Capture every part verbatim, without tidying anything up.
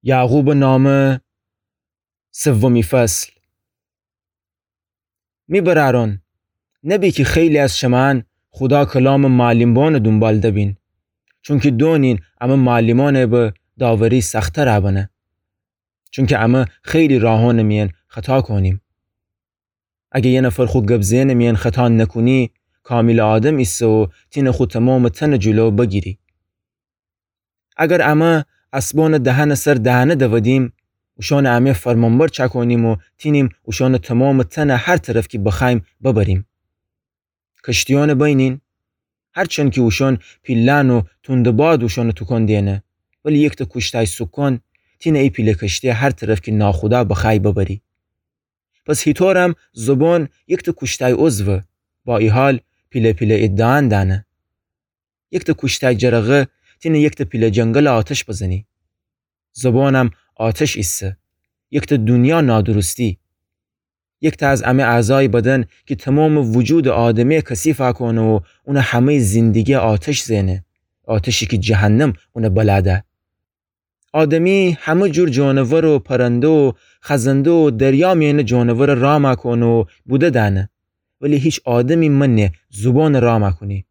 یعقوبٚ نامه، سومی فصل. می برأرأن، نبی کی خیلی از شمأن خودا کلامٚ معلمبانٚ دونبال دبین، چونکی دونین امه معلمأنٚ به داوری سختٚ رأ بنه. چونکی امه خیلی راهأنٚ میأن خطا کونیم. اگر یه نفر خو گب زئنٚ میأن خطا نکونی، کامیلٚ آدم ایسه و تینه خو تومامٚ تنٚ جلو بگیری. اگر امه اسبأنٚ دهنٚ سر دهنه دودیم، اوشأنٚ امه فرمانبر چأکونیم و تینیم اوشأنٚ تومامٚ تنٚ هر طرف کی بخوأییم ببریم. کشتیأنٚ بینین، هرچند کی اوشأن پیله‌ن و توندٚ باد اوشأنٚ توکون دئنه، ولی یکتا کوشتأی سوکان تینه ای پیله کشتی هر طرف کی ناخودا بخوأیی ببری. پس هیطورم زبان یکتا کوشتأی عضوه، با ای حال پیله پیله ادعا دأنه. یکتا کوشتأی جرقه تینه یکتا پیله جنگل آتش بزنی. زبانم آتش ایسه، یکتا دونیا نادرستی. یکتا از امه اعضایٚ بدن کی تومامٚ وجودٚ آدمه کثیفأ کونه و اونٚ همه‌یٚ زندگی آتش زئنه، آتشی کی جهنم اونه بلا ده. آدمی همه جور جانور و پرنده و خزنده و دریا میأنٚ جانورٚ رامأ کونه و بوده دأنه، ولی هیچ آدمی منه زبانٚ رامأ کونی.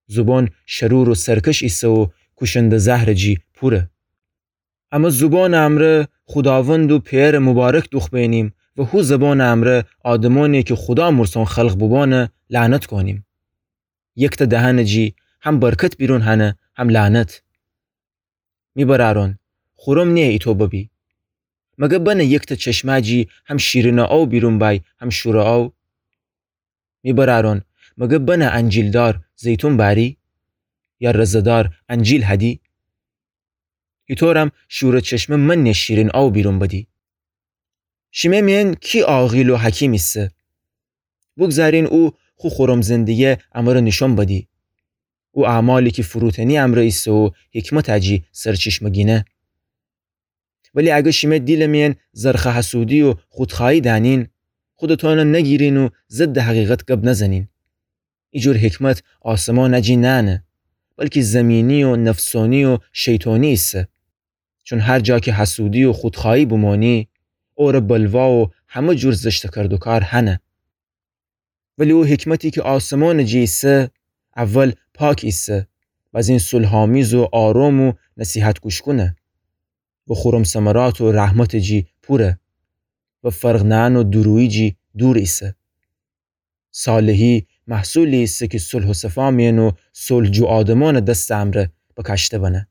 زبان شرور و سرکش ایسه و کوشنده زهرٚ جی پوره. امه زبانٚ امرأ خوداوند و پئرٚ مبارک دوخبئنیم و هو زبانٚ امرأ آدمأنی کی خودا مرسان خلق بوبانه لعنت کونیم. یکتا دهنٚ جی هم برکت بیرون هنه هم لعنت. می برأرأن، خورم نییه ایتو ببی. مگه بنه یکتا چشمه جی هم شیرینٚ آو بیرون بأی هم شورٚ آو؟ می برأرأن، مگه بنه انجیلدار زیتون بأری؟ یا رزه‌دار انجیل هدی؟ هیطورم شورٚ چشمه منه شیرین آو بیرون بدی. شیمه میأن کی عاقل و حکیم ایسه؟ بوگذارین او خو خورم زندگی امره نیشأن بدی. او اعمالی کی فروتنی امرأ ایسه و حکمتٚ جی سرچشمه گینه. ولی اگر شیمه دیلٚ میأن زرخه حسودی و خودخوأیی دأنین، خودتأنه نگیرین و ضدٚ حقیقت گب نزنین. ایجور حکمت آسمانٚ جی نأنه، بلکی زمینی و نفسانی و شیطانی ایسه. چون هر جا کی حسودی و خودخوأیی بمانی، اوره بلوا و همه جور زشتٚ کردوکار هنه. ولی او حکمتی کی آسمانٚ جی ایسه، اول پاک ایسه، بزین صلح‌آمیز و آرام و نصیحت‌گوش‌کونه و خورم ثمرات و رحمتٚ جی پوره و فرق نأن و دورویی جی دور ایسه. صالحی محصولی ایسه کی صلح و صفا میأن و صلح‌جو آدمأنٚ دستٚ امرأ بکاشته بنه.